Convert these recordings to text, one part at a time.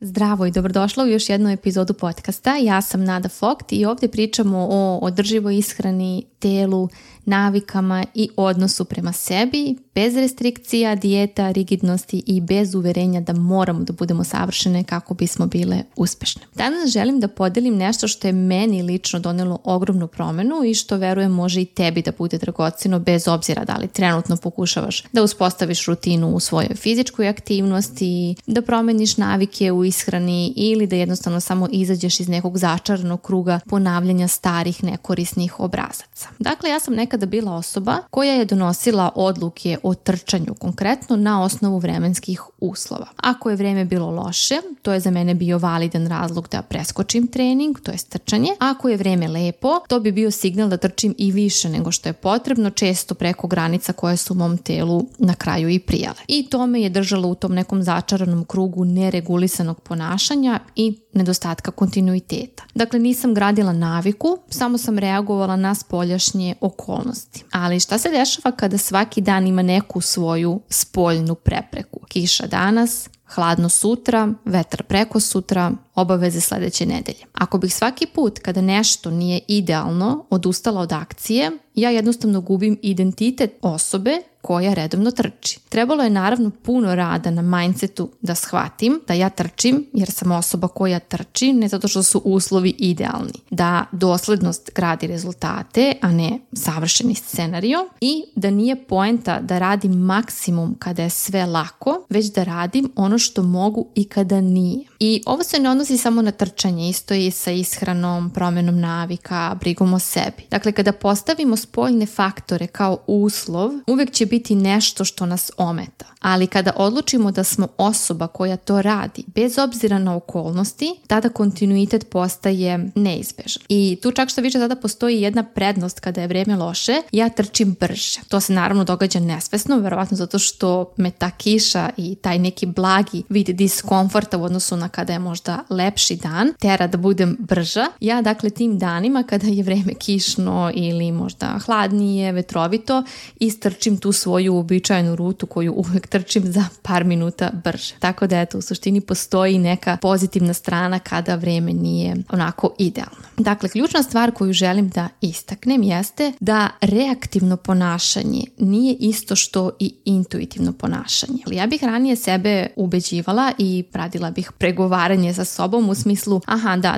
Zdravo i dobrodošla u još jednu epizodu podcasta. Ja sam Nada Fogt i ovdje pričamo o održivoj ishrani, telu, navikama i odnosu prema sebi, bez restrikcija, dijeta, rigidnosti i bez uverenja da moramo da budemo savršene kako bismo bile uspešne. Danas želim da podelim nešto što je meni lično donelo ogromnu promenu i što verujem može i tebi da bude dragoceno bez obzira da li trenutno pokušavaš da uspostaviš rutinu u svojoj fizičkoj aktivnosti, da promeniš navike u ishrani ili da jednostavno samo izađeš iz nekog začaranog kruga ponavljanja starih nekorisnih obrazaca. Dakle, ja sam nekada bila osoba koja je donosila odluke o trčanju konkretno na osnovu vremenskih uslova. Ako je vreme bilo loše, to je za mene bio validan razlog da preskočim trening, to je trčanje. Ako je vreme lepo, to bi bio signal da trčim i više nego što je potrebno, često preko granica koje su u mom telu na kraju i prijale. I to me je držalo u tom nekom začaranom krugu neregulisanog ponašanja i nedostatka kontinuiteta. Dakle, nisam gradila naviku, samo sam reagovala na spoljašnje okolnosti. Ali šta se dešava kada svaki dan ima neku svoju spoljnu prepreku? Kiša danas, hladno sutra, vetar preko sutra, obaveze sledeće nedelje. Ako bih svaki put kada nešto nije idealno odustala od akcije, ja jednostavno gubim identitet osobe koja redovno trči. Trebalo je naravno puno rada na mindsetu da shvatim da ja trčim jer sam osoba koja trči, ne zato što su uslovi idealni. Da doslednost gradi rezultate, a ne savršeni scenario i da nije poenta da radim maksimum kada je sve lako, već da radim ono što mogu i kada nije. I ovo se ne odnosi samo na trčanje, isto je i sa ishranom, promjenom navika, brigom o sebi. Dakle, kada postavimo spoljne faktore kao uslov, uvek će biti nešto što nas ometa. Ali kada odlučimo da smo osoba koja to radi, bez obzira na okolnosti, tada kontinuitet postaje neizbežan. I tu čak što više tada postoji jedna prednost kada je vreme loše, ja trčim brže. To se naravno događa nesvesno, verovatno zato što me ta kiša i taj neki blagi vid diskomforta u odnosu na kada je možda lepši dan tera da budem brža. Ja dakle tim danima kada je vreme kišno ili možda hladnije, vetrovito, istrčim tu svoju uobičajenu rutu koju uvek trčim za par minuta brže. Tako da eto, u suštini postoji neka pozitivna strana kada vreme nije onako idealno. Dakle, ključna stvar koju želim da istaknem jeste da reaktivno ponašanje nije isto što i intuitivno ponašanje. Ja bih ranije sebe ubeđivala i radila bih pregovaranje sa sobom u smislu,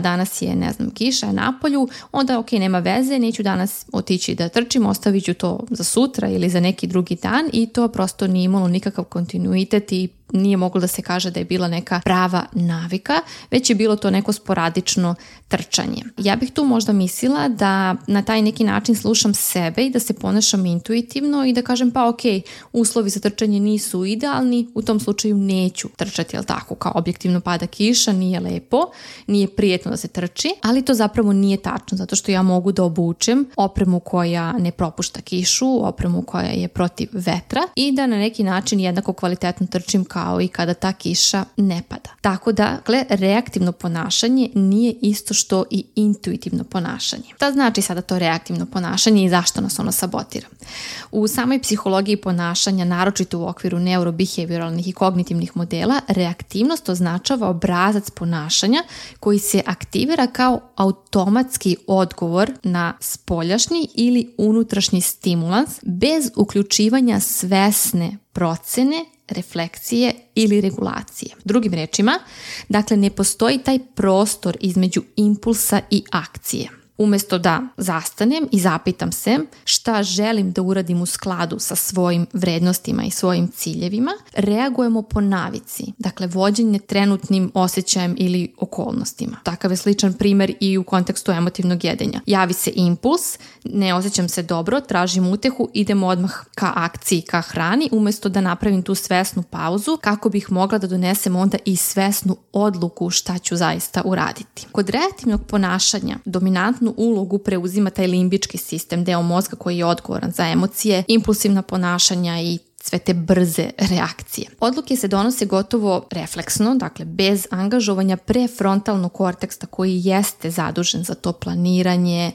danas je, kiša je napolju, onda nema veze, neću danas otići da trčim, ostavit ću to za sutra ili za neki drugi dan i to prosto nije imalo nikakav kontinuitet i nije moglo da se kaže da je bila neka prava navika, već je bilo to neko sporadično trčanje. Ja bih tu možda mislila da na taj neki način slušam sebe i da se ponašam intuitivno i da kažem uslovi za trčanje nisu idealni, u tom slučaju neću trčati, jel tako, kao objektivno pada kiša, nije lepo, nije prijetno da se trči, ali to zapravo nije tačno, zato što ja mogu da obučem opremu koja ne propušta kišu, opremu koja je protiv vetra i da na neki način jednako kvalitetno trčim kao i kada ta kiša ne pada. Tako da, reaktivno ponašanje nije isto što i intuitivno ponašanje. Šta znači sada to reaktivno ponašanje i zašto nas ono sabotira? U samoj psihologiji ponašanja, naročito u okviru neurobehavioralnih i kognitivnih modela, reaktivnost označava obrazac ponašanja koji se aktivira kao automatski odgovor na spoljašnji ili unutrašnji stimulans bez uključivanja svesne procene, refleksije ili regulacije. Drugim rečima, dakle ne postoji taj prostor između impulsa i akcije. Umjesto da zastanem i zapitam se šta želim da uradim u skladu sa svojim vrednostima i svojim ciljevima, reagujemo po navici, dakle vođenje trenutnim osjećajem ili okolnostima. Takav je sličan primjer i u kontekstu emotivnog jedenja. Javi se impuls, ne osjećam se dobro, tražim utehu, idemo odmah ka akciji, ka hrani, umjesto da napravim tu svesnu pauzu kako bih mogla da donesem onda i svesnu odluku šta ću zaista uraditi. Kod reaktivnog ponašanja dominantnu ulogu preuzima taj limbički sistem, deo mozga koji je odgovoran za emocije, impulsivna ponašanja i sve te brze reakcije. Odluke se donose gotovo refleksno, dakle bez angažovanja prefrontalnog korteksa koji jeste zadužen za to planiranje,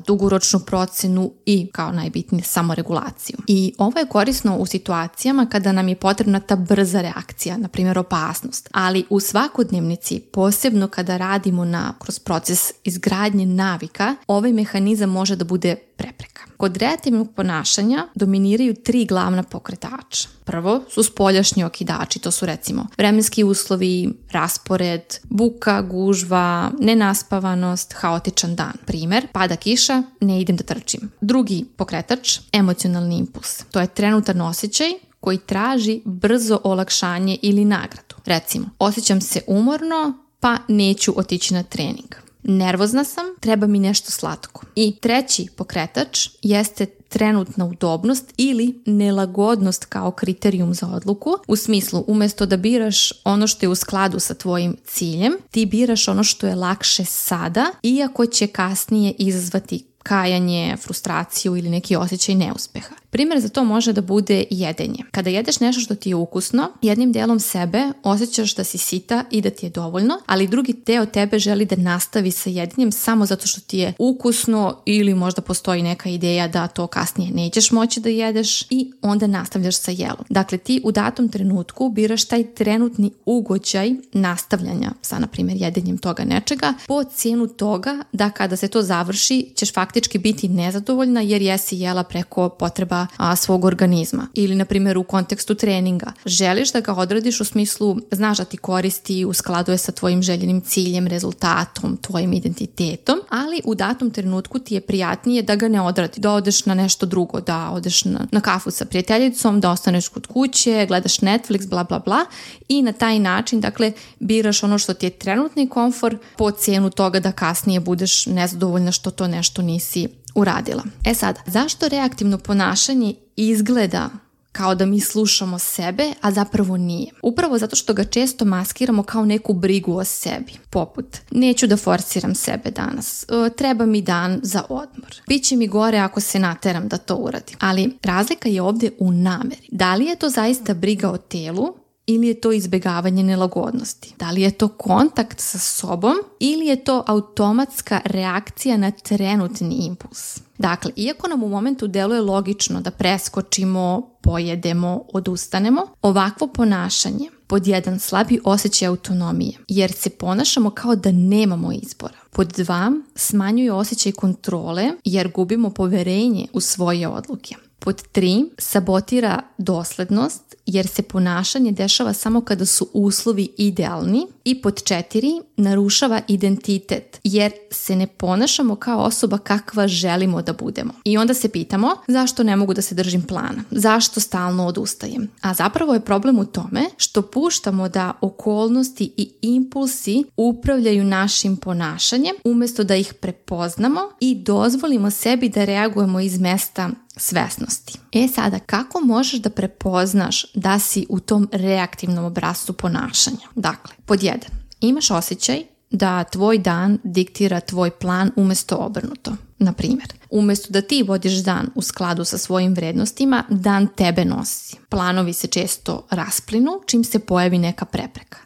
dugoročnu procenu i kao najbitnije samoregulaciju. I ovo je korisno u situacijama kada nam je potrebna ta brza reakcija, na primjer opasnost, ali u svakodnevnici, posebno kada radimo kroz proces izgradnje navika, ovaj mehanizam može da bude prepreka. Kod reaktivnog ponašanja dominiraju 3 glavna pokretača. Prvo su spoljašnji okidači, to su recimo vremenski uslovi, raspored, buka, gužva, nenaspavanost, haotičan dan. Primjer, pada kiša, ne idem da trčim. Drugi pokretač, emocionalni impuls. To je trenutan osjećaj koji traži brzo olakšanje ili nagradu. Recimo, osjećam se umorno, pa neću otići na trening. Nervozna sam, treba mi nešto slatko. I treći pokretač jeste trenutna udobnost ili nelagodnost kao kriterijum za odluku. U smislu, umjesto da biraš ono što je u skladu sa tvojim ciljem, ti biraš ono što je lakše sada, iako će kasnije izazvati kajanje, frustraciju ili neki osjećaj neuspeha. Primjer za to može da bude jedenje. Kada jedeš nešto što ti je ukusno, jednim delom sebe osjećaš da si sita i da ti je dovoljno, ali drugi deo tebe želi da nastavi sa jedenjem samo zato što ti je ukusno ili možda postoji neka ideja da to kasnije nećeš moći da jedeš i onda nastavljaš sa jelom. Dakle, ti u datom trenutku biraš taj trenutni ugođaj nastavljanja sa, na primjer, jedenjem toga nečega po cijenu toga da kada se to završi ćeš faktički biti nezadovoljna jer jesi jela preko potreba svog organizma. Ili, na primjer, u kontekstu treninga. Želiš da ga odradiš u smislu, znaš da ti koristi, u skladu je sa tvojim željenim ciljem, rezultatom, tvojim identitetom, ali u datom trenutku ti je prijatnije da ga ne odradi, da odeš na nešto drugo, da odeš na kafu sa prijateljicom, da ostaneš kod kuće, gledaš Netflix, bla bla bla i na taj način, dakle, biraš ono što ti je trenutni komfor po cijenu toga da kasnije budeš nezadovoljna što to nešto nisi uradila. Sad, zašto reaktivno ponašanje izgleda kao da mi slušamo sebe, a zapravo nije? Upravo zato što ga često maskiramo kao neku brigu o sebi. Poput, neću da forsiram sebe danas, treba mi dan za odmor. Biće mi gore ako se nateram da to uradim. Ali razlika je ovdje u nameri. Da li je to zaista briga o telu ili je to izbjegavanje nelagodnosti? Da li je to kontakt sa sobom ili je to automatska reakcija na trenutni impuls? Dakle, iako nam u momentu deluje logično da preskočimo, pojedemo, odustanemo, ovakvo ponašanje pod 1 slabi osjećaj autonomije, jer se ponašamo kao da nemamo izbora. Pod 2 smanjuje osjećaj kontrole jer gubimo poverenje u svoje odluke. Pod 3 sabotira doslednost jer se ponašanje dešava samo kada su uslovi idealni. I pod 4 narušava identitet jer se ne ponašamo kao osoba kakva želimo da budemo. I onda se pitamo zašto ne mogu da se držim plana, zašto stalno odustajem. A zapravo je problem u tome što puštamo da okolnosti i impulsi upravljaju našim ponašanjem umjesto da ih prepoznamo i dozvolimo sebi da reagujemo iz mesta svesnosti. Sada, kako možeš da prepoznaš da si u tom reaktivnom obrascu ponašanja? Dakle, pod 1. Imaš osjećaj da tvoj dan diktira tvoj plan umjesto obrnuto. Na primjer, umjesto da ti vodiš dan u skladu sa svojim vrednostima, dan tebe nosi. Planovi se često rasplinu čim se pojavi neka prepreka.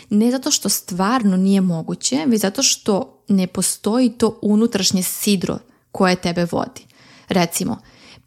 Ne zato što stvarno nije moguće, već zato što ne postoji to unutrašnje sidro koje tebe vodi. Recimo,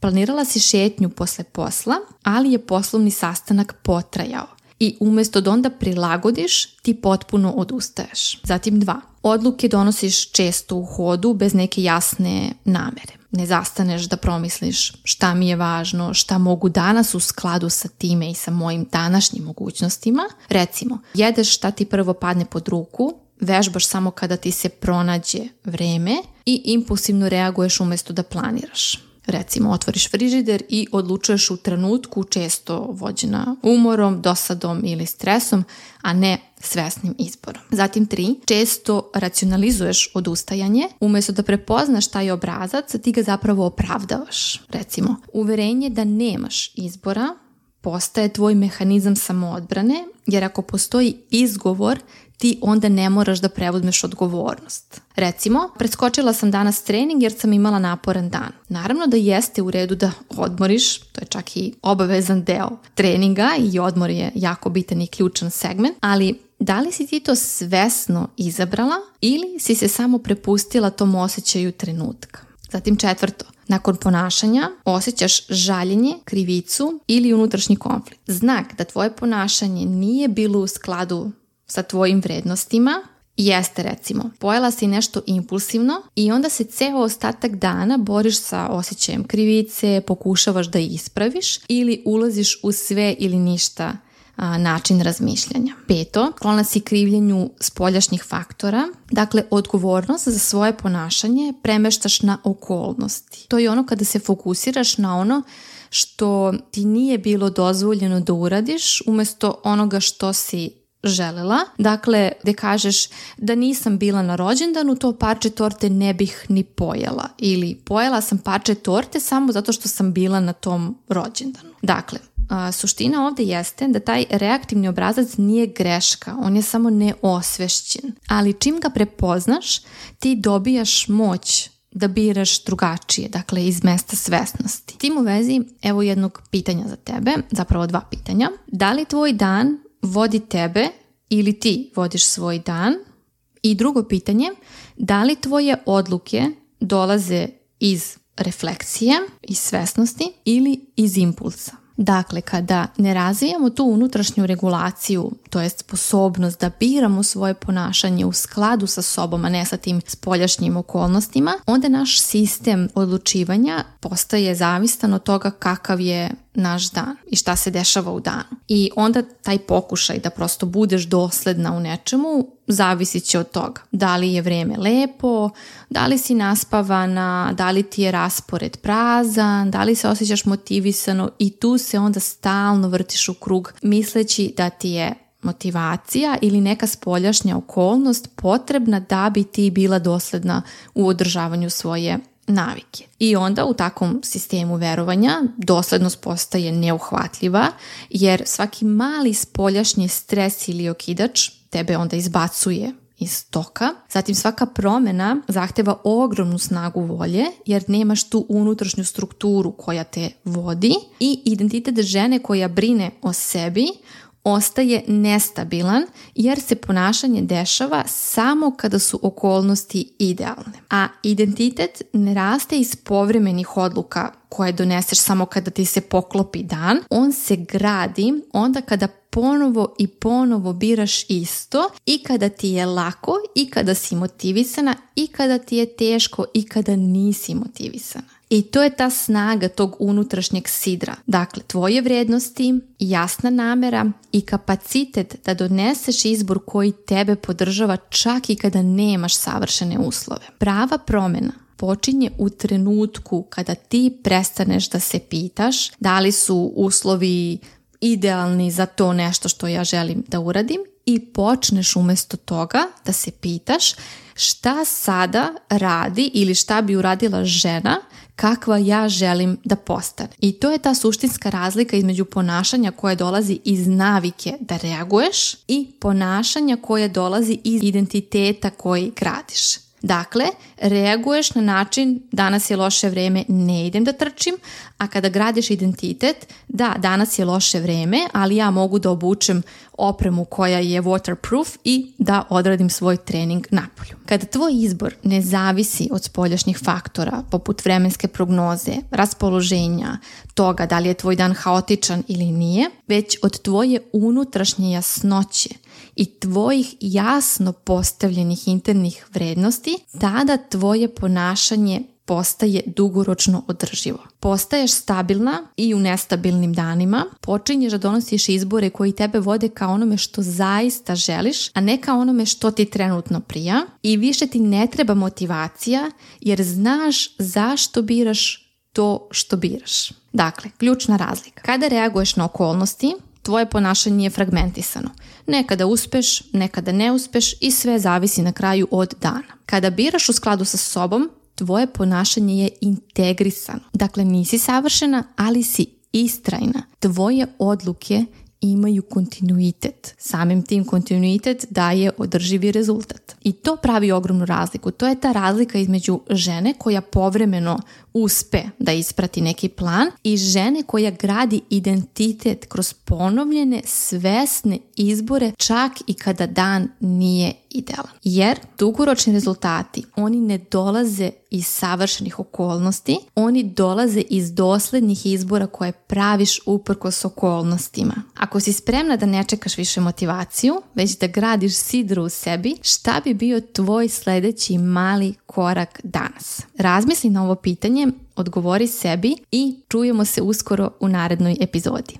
planirala si šetnju posle posla, ali je poslovni sastanak potrajao. I umjesto da onda prilagodiš, ti potpuno odustaješ. Zatim 2. Odluke donosiš često u hodu bez neke jasne namere. Ne zastaneš da promisliš šta mi je važno, šta mogu danas u skladu sa time i sa mojim današnjim mogućnostima. Recimo, jedeš šta ti prvo padne pod ruku, vežbaš samo kada ti se pronađe vreme i impulsivno reaguješ umjesto da planiraš. Recimo, otvoriš frižider i odlučuješ u trenutku, često vođena umorom, dosadom ili stresom, a ne svesnim izborom. Zatim 3. Često racionalizuješ odustajanje, umjesto da prepoznaš taj obrazac, ti ga zapravo opravdavaš. Recimo, uverenje da nemaš izbora postaje tvoj mehanizam samoodbrane, jer ako postoji izgovor, ti onda ne moraš da preuzmeš odgovornost. Recimo, preskočila sam danas trening jer sam imala naporan dan. Naravno da jeste u redu da odmoriš, to je čak i obavezan deo treninga i odmor je jako bitan i ključan segment, ali da li si ti to svesno izabrala ili si se samo prepustila tom osjećaju trenutka? Zatim 4. Nakon ponašanja osjećaš žaljenje, krivicu ili unutrašnji konflikt. Znak da tvoje ponašanje nije bilo u skladu sa tvojim vrednostima jeste, recimo, pojela si nešto impulsivno i onda se ceo ostatak dana boriš sa osjećajem krivice, pokušavaš da ispraviš ili ulaziš u sve ili ništa način razmišljanja. 5. Sklona si krivljenju spoljašnjih faktora. Dakle, odgovornost za svoje ponašanje premeštaš na okolnosti. To je ono kada se fokusiraš na ono što ti nije bilo dozvoljeno da uradiš umjesto onoga što si želela. Dakle, gde kažeš da nisam bila na rođendanu, to parče torte ne bih ni pojela. Ili pojela sam parče torte samo zato što sam bila na tom rođendanu. Dakle, suština ovdje jeste da taj reaktivni obrazac nije greška, on je samo neosvešćen. Ali čim ga prepoznaš, ti dobijaš moć da biraš drugačije, dakle iz mesta svesnosti. Tim u vezi, evo jednog pitanja za tebe, zapravo 2 pitanja. Da li tvoj dan vodi tebe ili ti vodiš svoj dan? I drugo pitanje, da li tvoje odluke dolaze iz refleksije, iz svesnosti ili iz impulsa? Dakle, kada ne razvijamo tu unutrašnju regulaciju, to jest sposobnost da biramo svoje ponašanje u skladu sa sobom, a ne sa tim spoljašnjim okolnostima, onda naš sistem odlučivanja postaje zavistan od toga kakav je naš dan i šta se dešava u danu. I onda taj pokušaj da prosto budeš dosledna u nečemu zavisit će od toga. Da li je vreme lepo, da li si naspavana, da li ti je raspored prazan, da li se osjećaš motivisano i tu se onda stalno vrtiš u krug misleći da ti je motivacija ili neka spoljašnja okolnost potrebna da bi ti bila dosledna u održavanju svoje navike. I onda u takvom sistemu verovanja doslednost postaje neuhvatljiva jer svaki mali spoljašnji stres ili okidač tebe onda izbacuje iz toka. Zatim svaka promjena zahteva ogromnu snagu volje jer nemaš tu unutrašnju strukturu koja te vodi i identitet žene koja brine o sebi ostaje nestabilan jer se ponašanje dešava samo kada su okolnosti idealne. A identitet ne raste iz povremenih odluka koje doneseš samo kada ti se poklopi dan. On se gradi onda kada ponovo i ponovo biraš isto i kada ti je lako i kada si motivisana i kada ti je teško i kada nisi motivisana. I to je ta snaga tog unutrašnjeg sidra. Dakle, tvoje vrijednosti, jasna namera i kapacitet da doneseš izbor koji tebe podržava čak i kada nemaš savršene uslove. Prava promjena počinje u trenutku kada ti prestaneš da se pitaš da li su uslovi idealni za to nešto što ja želim da uradim i počneš umjesto toga da se pitaš šta sada radi ili šta bi uradila žena kakva ja želim da postane. I to je ta suštinska razlika između ponašanja koje dolazi iz navike da reaguješ i ponašanja koje dolazi iz identiteta koji gradiš. Dakle, reaguješ na način danas je loše vreme, ne idem da trčim, a kada gradiš identitet, da, danas je loše vreme, ali ja mogu da obučem opremu koja je waterproof i da odradim svoj trening napolju. Kada tvoj izbor ne zavisi od spoljašnjih faktora, poput vremenske prognoze, raspoloženja, toga da li je tvoj dan haotičan ili nije, već od tvoje unutrašnje jasnoće i tvojih jasno postavljenih internih vrednosti, tada tvoje ponašanje postaje dugoročno održivo. Postaješ stabilna i u nestabilnim danima, počinješ da donosiš izbore koji tebe vode ka onome što zaista želiš, a ne ka onome što ti trenutno prija i više ti ne treba motivacija jer znaš zašto biraš to što biraš. Dakle, ključna razlika. Kada reaguješ na okolnosti, tvoje ponašanje je fragmentisano. Nekada uspeš, nekada ne uspeš i sve zavisi na kraju od dana. Kada biraš u skladu sa sobom, tvoje ponašanje je integrisano. Dakle, nisi savršena, ali si istrajna. Tvoje odluke imaju kontinuitet. Samim tim kontinuitet daje održivi rezultat. I to pravi ogromnu razliku. To je ta razlika između žene koja povremeno uspe da isprati neki plan i žene koja gradi identitet kroz ponovljene, svesne izbore čak i kada dan nije idealan. Jer dugoročni rezultati, oni ne dolaze iz savršenih okolnosti, oni dolaze iz doslednih izbora koje praviš uprkos okolnostima. Ako si spremna da ne čekaš više motivaciju, već da gradiš sidru u sebi, šta bi bio tvoj sledeći mali korak danas? Razmisli na ovo pitanje, odgovori sebi i čujemo se uskoro u narednoj epizodi.